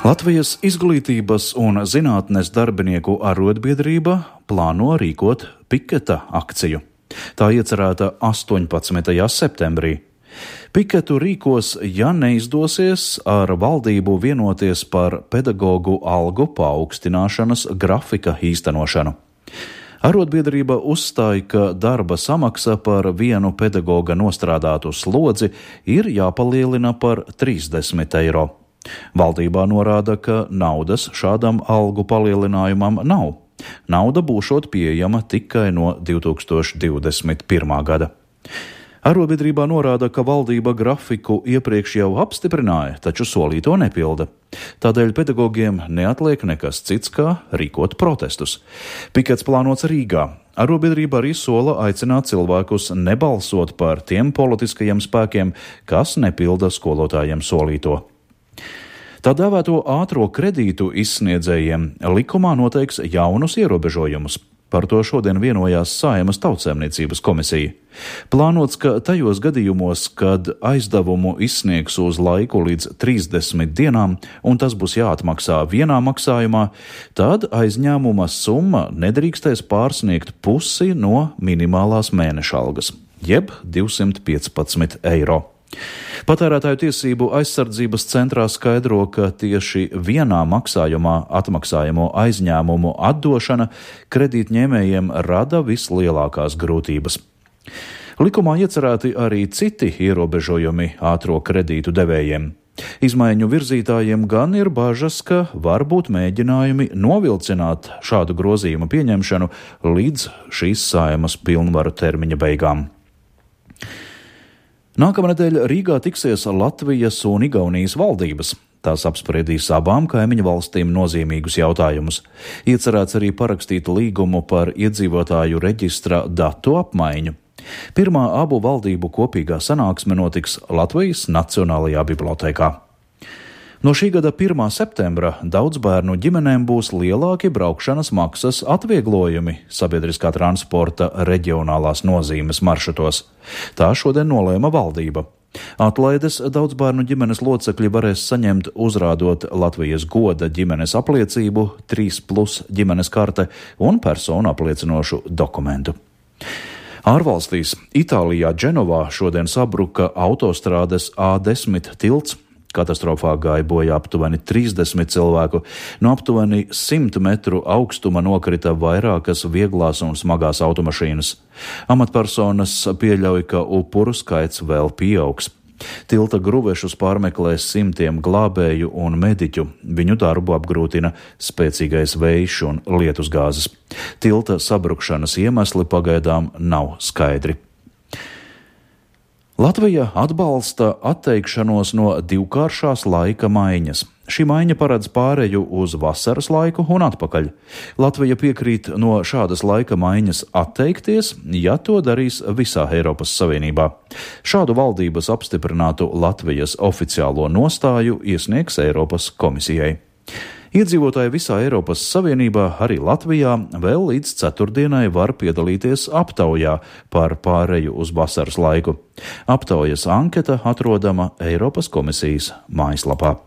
Latvijas izglītības un zinātnes darbinieku arotbiedrība plāno rīkot piketa akciju. Tā iecerēta 18. septembrī. Piketu rīkos, ja neizdosies ar valdību vienoties par pedagoģu algu paaugstināšanas grafika īstenošanu. Arotbiedrība uzstāja, ka darba samaksa par vienu pedagoga nostrādātu slodzi ir jāpalielina par 30 eiro. Valdībā norāda, ka naudas šādam algu palielinājumam nav. Nauda būšot pieejama tikai no 2021. gada. Arotbiedrībā norāda, ka valdība grafiku iepriekš jau apstiprināja, taču solīto nepilda. Tādēļ pedagogiem neatliek nekas cits, kā rīkot protestus. Pikets plānots Rīgā. Arotbiedrība arī sola aicināt cilvēkus nebalsot par tiem politiskajiem spēkiem, kas nepilda skolotājiem solīto. Tā dēvēto ātro kredītu izsniedzējiem likumā noteiks jaunus ierobežojumus. Par to šodien vienojās Saeimas Tautsaimniecības komisija. Plānots, ka tajos gadījumos, kad aizdevumu izsniegs uz laiku līdz 30 dienām, un tas būs jāatmaksā vienā maksājumā, tad aizņēmuma summa nedrīkstēs pārsniegt pusi no minimālās mēneša algas, jeb 215 eiro. Patērētāju tiesību aizsardzības centrā skaidro, ka tieši vienā maksājumā atmaksājamo aizņēmumu atdošana kredītņēmējiem rada vislielākās grūtības. Likumā iecerēti arī citi ierobežojumi ātro kredītu devējiem. Izmaiņu virzītājiem gan ir bažas, ka var būt mēģinājumi novilcināt šādu grozījumu pieņemšanu līdz šīs Saeimas pilnvaru termiņa beigām. Nākamnedēļ Rīgā tiksies Latvijas un Igaunijas valdības. Tās apspriedīs abām kaimiņu valstīm nozīmīgus jautājumus. Iecerēts arī parakstīt līgumu par iedzīvotāju reģistra datu apmaiņu. Pirmā abu valdību kopīgā sanāksme notiks Latvijas Nacionālajā bibliotēkā. No šī gada 1. septembra daudz bērnu ģimenēm būs lielāki braukšanas maksas atvieglojumi sabiedriskā transporta reģionālās nozīmes maršrutos. Tā šodien nolēma valdība. Atlaides daudz bērnu ģimenes locekļi varēs saņemt uzrādot Latvijas goda ģimenes apliecību, 3+ ģimenes karte un personu apliecinošu dokumentu. Ārvalstīs Itālijā Dženovā šodien sabruka autostrādes A10 tilts. Katastrofā gāja bojā aptuveni 30 cilvēku. No aptuveni 100 metru augstuma nokrita vairākas vieglās un smagās automašīnas. Amatpersonas pieļauj, ka upuru skaits vēl pieaugs. Tilta gruvešus pārmeklēs simtiem glābēju un mediķu. Viņu darbu apgrūtina spēcīgais vējš un lietusgāzes. Tilta sabrukšanas iemesli pagaidām nav skaidri. Latvija atbalsta atteikšanos no divkāršās laika maiņas. Šī maiņa paredz pāreju uz vasaras laiku un atpakaļ. Latvija piekrīt no šādas laika maiņas atteikties, ja to darīs visā Eiropas Savienībā. Šādu valdības apstiprinātu Latvijas oficiālo nostāju iesniegs Eiropas komisijai. Iedzīvotāji visā Eiropas Savienībā, arī Latvijā, vēl līdz ceturtdienai var piedalīties aptaujā par pāreju uz vasaras laiku. Aptaujas anketa atrodama Eiropas komisijas mājaslapā.